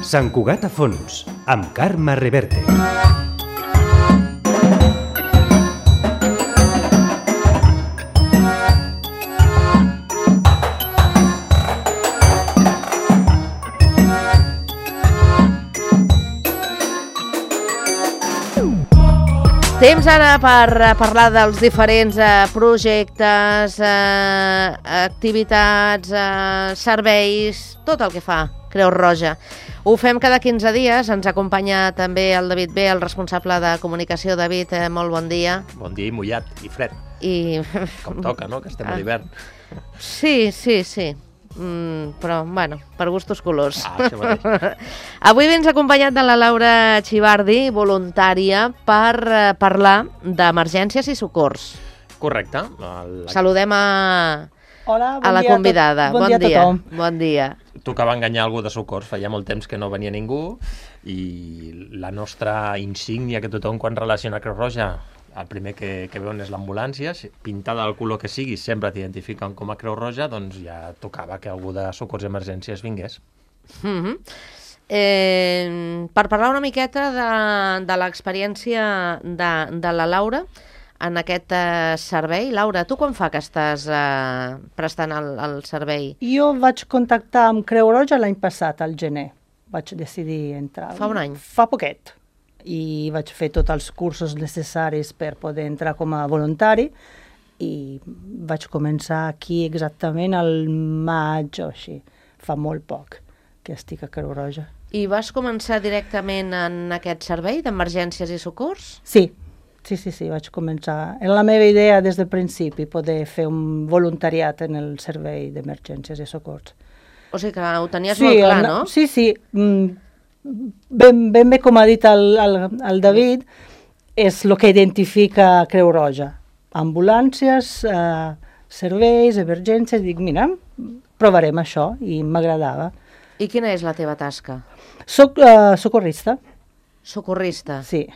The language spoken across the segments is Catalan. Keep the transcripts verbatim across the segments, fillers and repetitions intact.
Sant Cugat a fons, amb Carme Reverte. Temps ara per parlar dels diferents eh, projectes, eh, activitats, eh, serveis, tot el que fa Creu Roja. Ho fem cada quinze dies, ens acompanya també el David B, el responsable de comunicació. David, eh, molt bon dia. Bon dia i mullat, i fred. I... Com toca, no?, que estem a l'hivern. Sí, sí, sí. Mm, però, bueno, per gustos colors. Ah, això mateix. Avui vens acompanyat de la Laura Chivardi, voluntària, per eh, parlar d'emergències i socors. Correcte. El... Saludem a, Hola, bon a la dia convidada. A bon, bon bon dia, dia a tothom. Bon dia. Tocava enganyar algú de socors, feia molt temps que no venia ningú, i la nostra insígnia que tothom quan relaciona Creu Roja, el primer que, que veuen és l'ambulància, pintada del color que sigui, sempre t'identifiquen com a Creu Roja, doncs ja tocava que algú de socors i emergències vingués. Mm-hmm. eh, per parlar una miqueta de, de l'experiència de, de la Laura en aquest eh, servei. Laura, tu quan fa que estàs eh, prestant el, el servei? Jo vaig contactar amb Creu Roja l'any passat, al gener. Vaig decidir entrar. Fa un any? Fa poquet. I vaig fer tots els cursos necessaris per poder entrar com a voluntari i vaig començar aquí exactament al maig o així. Fa molt poc que estic a Creu Roja. I vas començar directament en aquest servei d'emergències i socors? Sí, sí, sí, sí, vaig començar. Era la meva idea des del principi, poder fer un voluntariat en el servei d'emergències i socors. O sigui que ho tenies sí, molt clar, el, no? Sí, sí. Mm, ben, ben bé, com ha dit el, el, el David, és el que identifica Creu Roja. Ambulàncies, eh, serveis, emergències, dic, mira, provarem això, i m'agradava. I quina és la teva tasca? Soc eh, socorrista. Socorrista? Sí.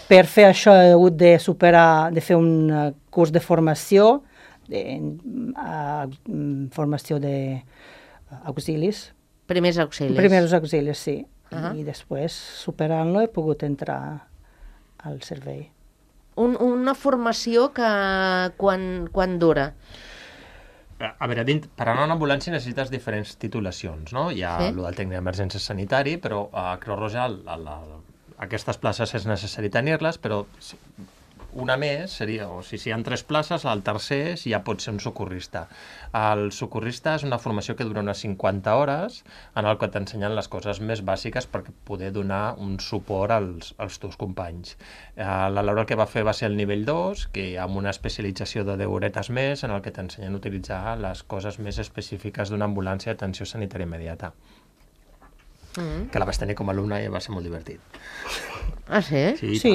Per fer això he hagut de superar, de fer un uh, curs de formació, de, uh, formació d'auxilis. Primers auxilis. Primers auxilis, sí. Uh-huh. I després, superant-lo, he pogut entrar al servei. Un, una formació que quan, quan dura? A veure, dint, per anar a una ambulància necessites diferents titulacions, no? Hi ha sí? el del tècnic d'emergència sanitari, però a Creu Roja el, el, el, aquestes places és necessari tenir-les, però una més seria, o si, si hi ha tres places, el tercer ja pot ser un socorrista. El socorrista és una formació que dura unes cinquanta hores, en el que t'ensenyen les coses més bàsiques per poder donar un suport als, als teus companys. La Laura el que va fer va ser el nivell dos, que amb una especialització de deu horetes més, en el que t'ensenyen a utilitzar les coses més específiques d'una ambulància d'atenció sanitària immediata. Mm. Que la vaig tenir com a alumna i va ser molt divertit. Ah, sí? Sí, sí,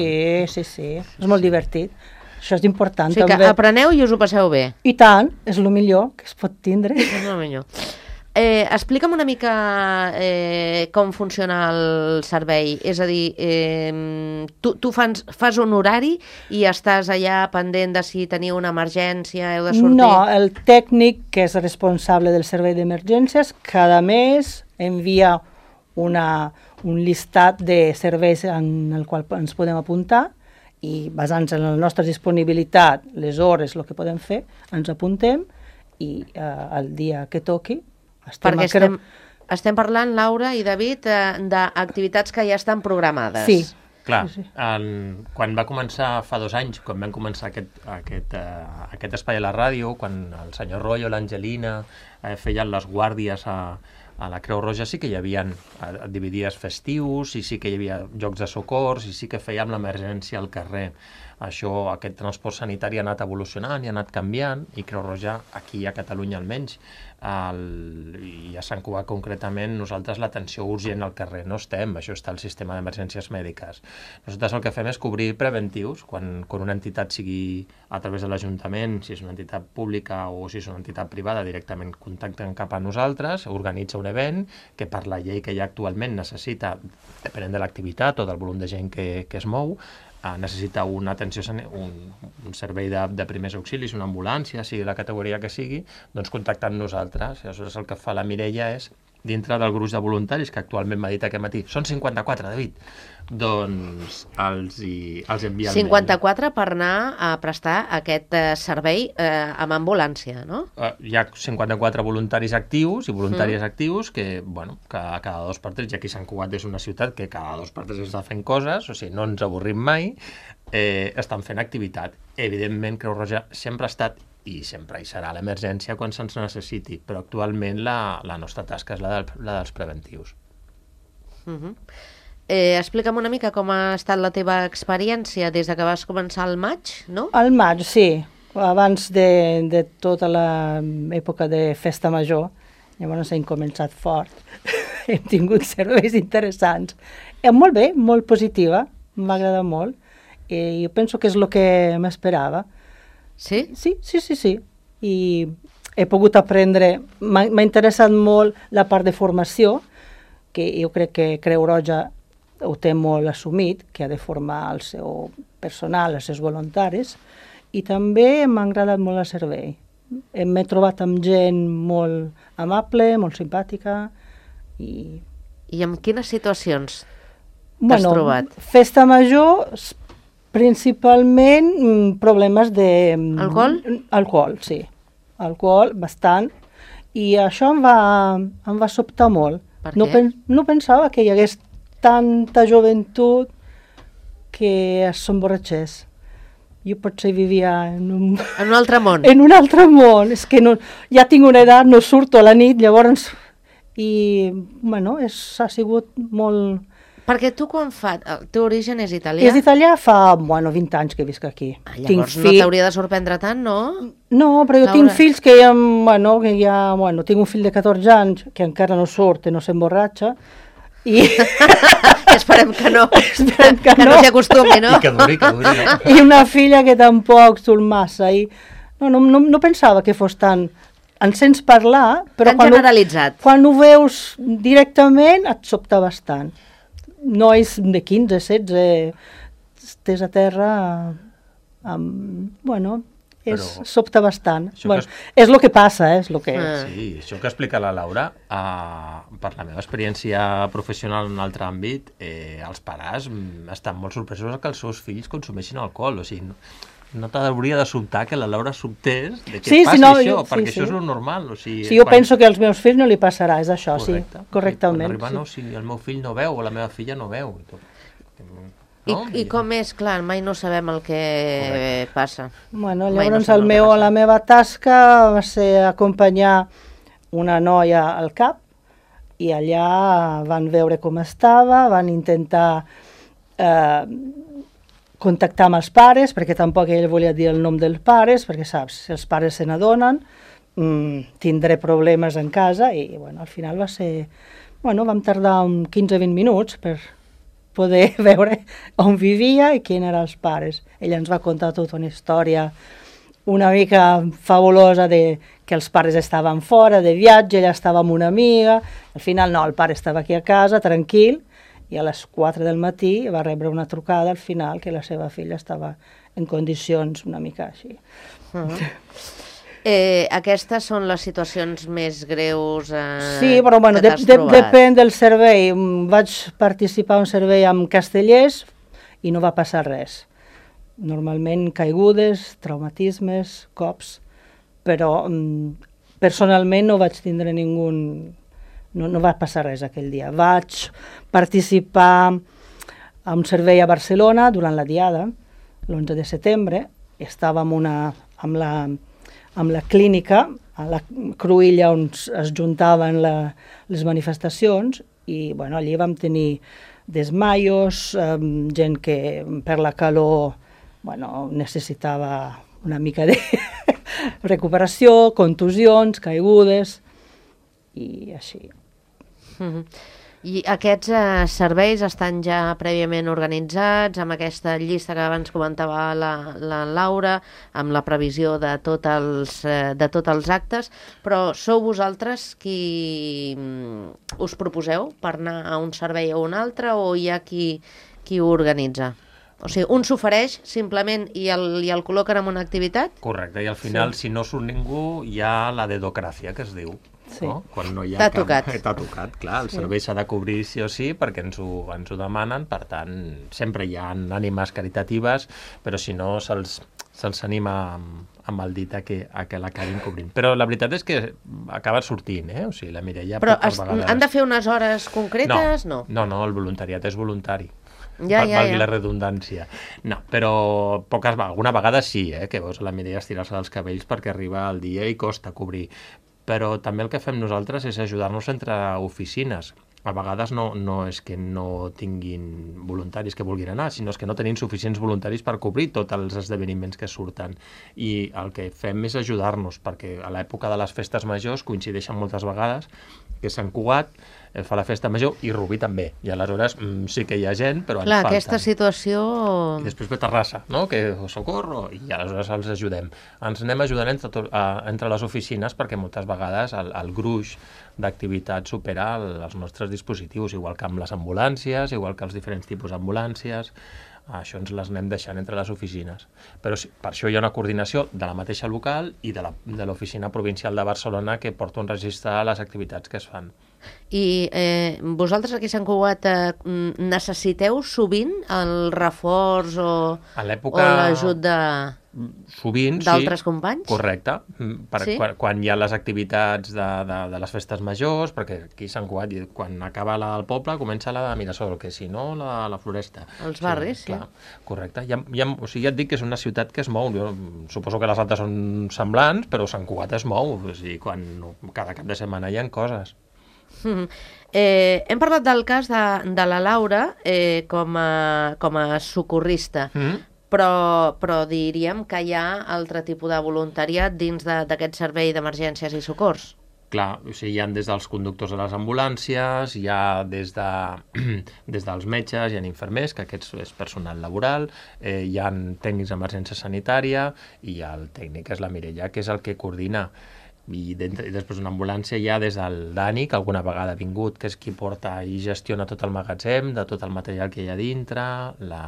sí, sí. És molt divertit. Això és important. O sigui també. Que apreneu i us ho passeu bé. I tant, és el millor que es pot tindre. És el millor. Eh, explica'm una mica eh, com funciona el servei. És a dir, eh, tu, tu fas, fas un horari i estàs allà pendent de si teniu una emergència, heu de sortir... No, el tècnic, que és responsable del servei d'emergències, cada mes envia una, un llistat de serveis en el qual ens podem apuntar i basant-se en la nostra disponibilitat, les hores, el que podem fer, ens apuntem i eh, el dia que toqui estem... Perquè estem, estem parlant, Laura i David, eh, d'activitats que ja estan programades. Sí. Clar, en, quan va començar fa dos anys, quan vam començar aquest, aquest, uh, aquest espai a la ràdio, quan el senyor Royo, l'Angelina, eh, feien les guàrdies a, a la Creu Roja, sí que hi havia uh, dividies festius, i sí que hi havia jocs de socors, i sí que fèiem l'emergència al carrer. Això, aquest transport sanitari ha anat evolucionant i ha anat canviant, i Creu Roja, aquí a Catalunya almenys, el, i a Sant Cugat concretament, nosaltres l'atenció urgent al carrer no estem, això està al sistema d'emergències mèdiques. Nosaltres el que fem és cobrir preventius, quan, quan una entitat sigui a través de l'Ajuntament, si és una entitat pública o si és una entitat privada, directament contacten cap a nosaltres, organitza un event que per la llei que hi ha actualment necessita, depenent de l'activitat o del volum de gent que, que es mou, Uh, necessita una atenció, un, un servei de, de primers auxilis, una ambulància, sigui la categoria que sigui, doncs contactar amb nosaltres. Aleshores el que fa la Mireia és dintre del gruix de voluntaris, que actualment m'ha dit aquest matí, són cinquanta-quatre, David, doncs els, hi, els envia el cinquanta-quatre per anar a prestar aquest eh, servei eh, amb ambulància, no? Uh, hi ha cinquanta-quatre voluntaris actius i voluntàries mm. actius que, bueno, que cada dos per tres, ja aquí Sant Cugat és una ciutat que cada dos per tres està fent coses, o sigui, no ens avorrim mai, eh, estan fent activitat. Evidentment, Creu Roja sempre ha estat i sempre hi serà l'emergència quan se'ns necessiti, però actualment la, la nostra tasca és la, del, la dels preventius. Uh-huh. eh, explica'm una mica com ha estat la teva experiència des de que vas començar al maig, no? Al maig, sí. Abans de, de tota l'època de festa major, llavors hem començat fort. Hem tingut serveis interessants. Eh, molt bé, molt positiva, m'ha agradat molt. I jo penso que és el que m'esperava. Sí? Sí, sí, sí, sí. I he pogut aprendre, m'ha interessat molt la part de formació, que jo crec que Creu Roja ho té molt assumit, que ha de formar el seu personal, els seus voluntaris, i també m'ha agradat molt el servei. M'he trobat amb gent molt amable, molt simpàtica, i... I en quines situacions t'has bueno, trobat? Festa major, principalment problemes de... Alcohol? Alcohol, sí. Alcohol, bastant. I això em va, em va sobtar molt. Per no, què? pen, no pensava que hi hagués tanta joventut que s'emborratxés. Jo potser vivia en un... En un altre món? En un altre món. És que no, ja tinc una edat, no surto a la nit, llavors... I, bueno, és, ha sigut molt... Perquè tu quan fa... El teu origen és italià? És italià fa, bueno, vint anys que visc aquí. Ah, llavors no fill... t'hauria de sorprendre tant, no? No, però jo Laura. tinc fills que ja, bueno, que ja, bueno, tinc un fill de catorze anys que encara no surt i no s'emborratxa. I... Esperem que no. Esperem que, que no, no. no s'hi acostumi, no? I que duri, que duri. No? I una filla que tampoc surt massa. I... No, no, no, no pensava que fos tan... En sents parlar, però Tan quan generalitzat. Ho, quan ho veus directament et sobta bastant. Nois de quinze, setze, estès a terra, amb, bueno, és, Però sobta bastant. Bueno, és... és el que passa, eh, és el que... Ah. Sí, això que explica la Laura, eh, per la meva experiència professional en un altre àmbit, eh, els pares estan molt sorpresos que els seus fills consumeixin alcohol, o sigui... No... No t'hauria de sobtar que la Laura sobtés de què Sí, passi sí, no, això, jo- sí, perquè sí. això és el normal. O sigui, Sí, jo quan... penso que als meus fills no li passarà, és això, Correcte. sí, correctament. Quan arriba, sí. no, si el meu fill no veu o la meva filla no veu. I, tot. I, No? I com és? Clar, mai no sabem el que Correcte. passa. Bueno, Mai llavors no sabem el el que meu, passa. la meva tasca va ser acompanyar una noia al cap i allà van veure com estava, van intentar eh, contactar amb els pares, perquè tampoc ell volia dir el nom dels pares, perquè saps, si els pares se n'adonen, mmm, tindré problemes en casa, i bueno, al final va ser... Bueno, vam tardar un quinze a vint minuts per poder veure on vivia i qui eren els pares. Ella ens va contar tota una història una mica fabulosa de que els pares estaven fora de viatge, ella estava amb una amiga, al final no, el pare estava aquí a casa, tranquil, i a les quatre del matí va rebre una trucada al final que la seva filla estava en condicions una mica així. Uh -huh. eh, aquestes són les situacions més greus eh, Sí, però bueno, que de, t'has de, trobat. depèn del servei. Vaig participar en un servei amb Castellers i no va passar res. Normalment caigudes, traumatismes, cops, però mm, personalment no vaig tindre ningú... No, no va passar res aquell dia. Vaig participar a un servei a Barcelona durant la Diada, l'onze de setembre. Estàvem una, amb, la, amb la clínica, a la cruïlla on es juntaven la, les manifestacions, i bueno, allí vam tenir desmaios, eh, gent que per la calor bueno, necessitava una mica de recuperació, contusions, caigudes, i així. Uh-huh. I aquests eh, serveis estan ja prèviament organitzats, amb aquesta llista que abans comentava la, la Laura, amb la previsió de, tot els, eh, de tots els actes, però sou vosaltres qui mm, us proposeu per anar a un servei o un altre, o hi ha qui, qui ho organitza? O sigui, un s'ofereix simplement i el, i el col·loquen en una activitat? Correcte, i al final, sí. Si no surt ningú, hi ha la dedocràcia, que es diu. Sí. No? Quan no hi ha T'ha cap... tocat. T'ha tocat, clar. El Sí. servei s'ha de cobrir sí o sí perquè ens ho, ens ho demanen, per tant, sempre hi ha ànimes caritatives, però si no se'ls se'ls anima amb, amb el dit a que, a que l'acabin cobrint. Però la veritat és que acaba sortint, eh? O sigui, la Mireia Però poques es, vegades... han de fer unes hores concretes? No. No, no, el voluntariat és voluntari. Ja, Val- ja, valgui ja. la redundància. No, però poques vegades, alguna vegada sí, eh, que veus la Mireia estirar-se dels cabells perquè arriba el dia i costa cobrir. Però també el que fem nosaltres és ajudar-nos entre oficines. A vegades no, no és que no tinguin voluntaris que vulguin anar, sinó és que no tenim suficients voluntaris per cobrir tots els esdeveniments que surten. I el que fem és ajudar-nos, perquè a l'època de les festes majors coincideixen moltes vegades que Sant Cugat eh, fa la festa major i Rubí també. I aleshores mm, sí que hi ha gent, però Clar, ens falten. aquesta situació... I després ve Terrassa, no? Que socorro, i aleshores els ajudem. Ens anem ajudant entre, to, a, entre les oficines perquè moltes vegades el, el gruix d'activitat supera el, els nostres dispositius, igual que amb les ambulàncies, igual que els diferents tipus d'ambulàncies. Això ens les anem deixant entre les oficines. Però sí, per això hi ha una coordinació de la mateixa local i de la, de l'oficina provincial de Barcelona que porta un registre de les activitats que es fan. I eh, vosaltres aquí a Sant Cugat eh, necessiteu sovint el reforç o, A o l'època... l'ajut de... Sovint, sí. D'altres companys? Correcte. Per, Sí? quan, quan hi ha les activitats de, de, de les festes majors, perquè aquí a Sant Cugat, quan acaba la del poble, comença la de Mirasol, que si no, la, la Floresta. Els barris, sí. Clar, correcte. Hi ha, hi ha, o sigui, ja et dic que és una ciutat que es mou. Jo suposo que les altres són semblants, però Sant Cugat es mou. O sigui, quan, cada cap de setmana hi ha coses. Mm. Eh, hem parlat del cas de, de la Laura eh, com, a, com a socorrista, Mm? però, però diríem que hi ha altre tipus de voluntariat dins de- d'aquest servei d'emergències i socors. Clar, o sigui, hi ha des dels conductors de les ambulàncies, hi ha des, de, des dels metges, hi ha infermers, que aquests és personal laboral, eh, hi ha tècnics d'emergència sanitària i el tècnic és la Mireia, que és el que coordina. I, dintre, i després una ambulància hi ha des del Dani, que alguna vegada ha vingut, que és qui porta i gestiona tot el magatzem, de tot el material que hi ha dintre, la,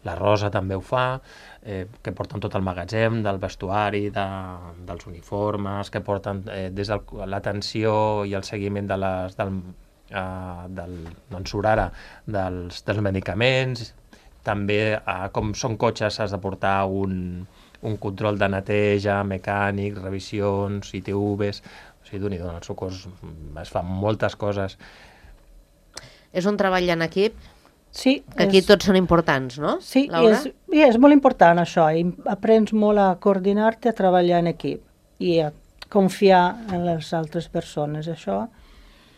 la Rosa també ho fa, eh, que porten tot el magatzem, del vestuari, de, dels uniformes, que porten eh, des de l'atenció i el seguiment de les, del, eh, del, doncs surt ara, dels, dels medicaments, també eh, com són cotxes has de portar un un control de neteja, mecànic, revisions, I T Vs... O sigui, d'un i d'un, els socors es fan moltes coses. És un treball en equip, Sí, que aquí és, tots són importants, no, sí, i Laura? és, i és molt important això, i aprens molt a coordinar-te, a treballar en equip i a confiar en les altres persones. Això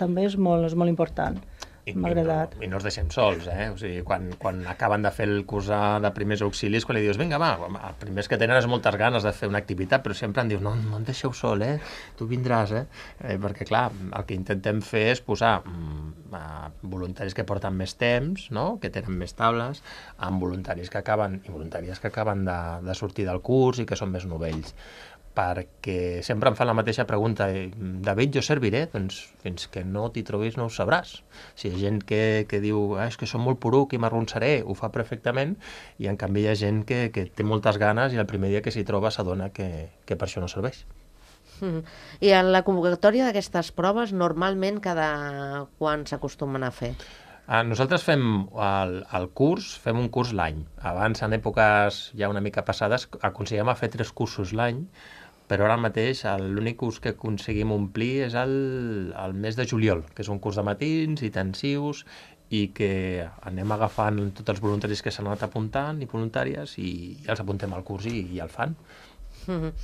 també és molt, és molt important. I, M'ha i, no, agradat. I no els deixem sols, eh? O sigui, quan, quan acaben de fer el curs de primers auxilis, quan li dius, vinga, va, els primers que tenen és moltes ganes de fer una activitat, però sempre em diu, no, no em deixeu sol, eh? Tu vindràs, eh? eh perquè, clar, el que intentem fer és posar mm, a voluntaris que porten més temps, no?, que tenen més taules, amb voluntaris que acaben, i voluntàries que acaben de, de sortir del curs i que són més novells. Perquè sempre em fan la mateixa pregunta, David, jo serviré? Doncs fins que no t'hi trobis no ho sabràs. Si hi ha gent que, que diu, ah, és que som molt poruc i m'arronsaré, ho fa perfectament, i en canvi hi ha gent que, que té moltes ganes i el primer dia que s'hi troba s'adona que, que per això no serveix. Mm. I en la convocatòria d'aquestes proves, normalment cada quan s'acostumen a fer? Ah, nosaltres fem el, el curs, fem un curs l'any. Abans, en èpoques ja una mica passades, aconsellem a fer tres cursos l'any, però ara mateix l'únic curs que aconseguim omplir és el, el mes de juliol, que és un curs de matins intensius i que anem agafant tots els voluntaris que s'han anat apuntant i voluntàries i, i els apuntem al curs i, i el fan. Mm-hmm.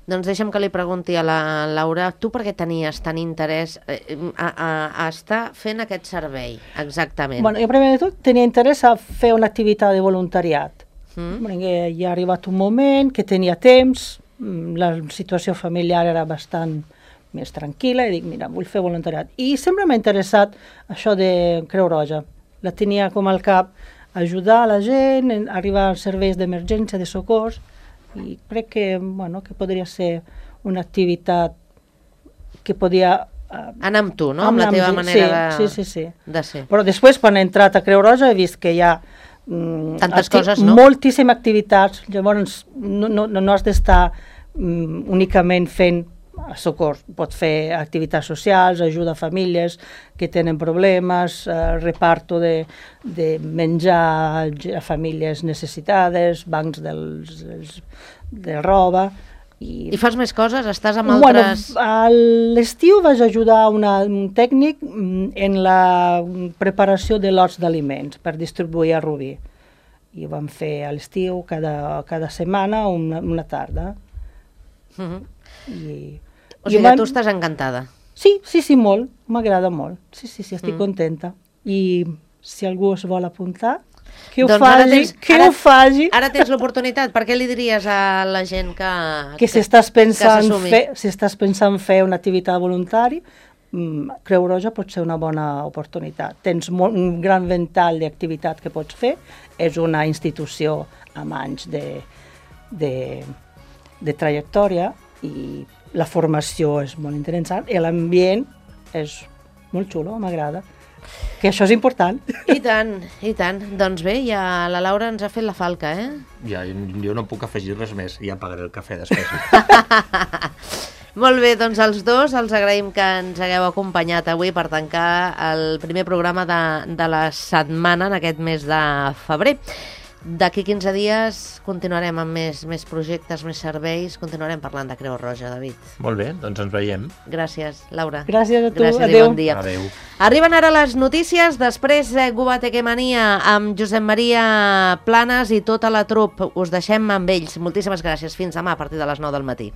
Doncs deixa'm que li pregunti a la Laura, tu per què tenies tant interès eh, a, a, a estar fent aquest servei, exactament? Bueno, jo primer de tot tenia interès a fer una activitat de voluntariat. Mm? Perquè ja ha arribat un moment que tenia temps, la situació familiar era bastant més tranquil·la, i dic, mira, vull fer voluntariat. I sempre m'ha interessat això de Creu Roja. La tenia com al cap, ajudar la gent, arribar als serveis d'emergència, de socors, i crec que, bueno, que podria ser una activitat que podia... Uh, Anar amb tu, no? Amb la teva mi, manera sí, de, sí, sí, sí. de ser. Però després, quan he entrat a Creu Roja, he vist que hi ha mm, tantes acti- coses, no? moltíssimes activitats, llavors no, no, no has d'estar mm, únicament fent Socors pot fer activitats socials, ajuda a famílies que tenen problemes, eh, reparto de, de menjar a famílies necessitades, bancs dels, dels, de roba. I, I fas més coses? Estàs amb bueno, altres... A l'estiu vaig ajudar una, un tècnic en la preparació de lots d'aliments per distribuir a Rubí. I ho vam fer a l'estiu cada, cada setmana una, una tarda. Uh -huh. I, o sigui, van... tu estàs encantada. Sí, sí, sí, molt. M'agrada molt. Sí, sí, sí, estic mm. contenta. I si algú es vol apuntar, que ho doncs faci, tens, que ara, ho faci. Ara tens l'oportunitat. Per què li diries a la gent que... Que, que si estàs pensant, que fer, si estàs pensant fer una activitat voluntària, Creu Roja pot ser una bona oportunitat. Tens molt, un gran ventall d'activitat que pots fer. És una institució amb anys de, de, de trajectòria i la formació és molt interessant i l'ambient és molt xulo, m'agrada. Que això és important. I tant, i tant. Doncs bé, ja la Laura ens ha fet la falca, eh? Ja, jo no puc afegir res més, ja pagaré el cafè després. Molt bé, doncs els dos els agraïm que ens hagueu acompanyat avui per tancar el primer programa de, de la setmana en aquest mes de febrer. D'aquí quinze dies continuarem amb més, més projectes, més serveis, continuarem parlant de Creu Roja, David. Molt bé, doncs ens veiem. Gràcies, Laura. Gràcies a tu, Gràcies adéu. I bon dia. Adéu. Arriben ara les notícies, després eh, Gubatequemania amb Josep Maria Planes i tota la trup. Us deixem amb ells. Moltíssimes gràcies. Fins demà a partir de les nou del matí.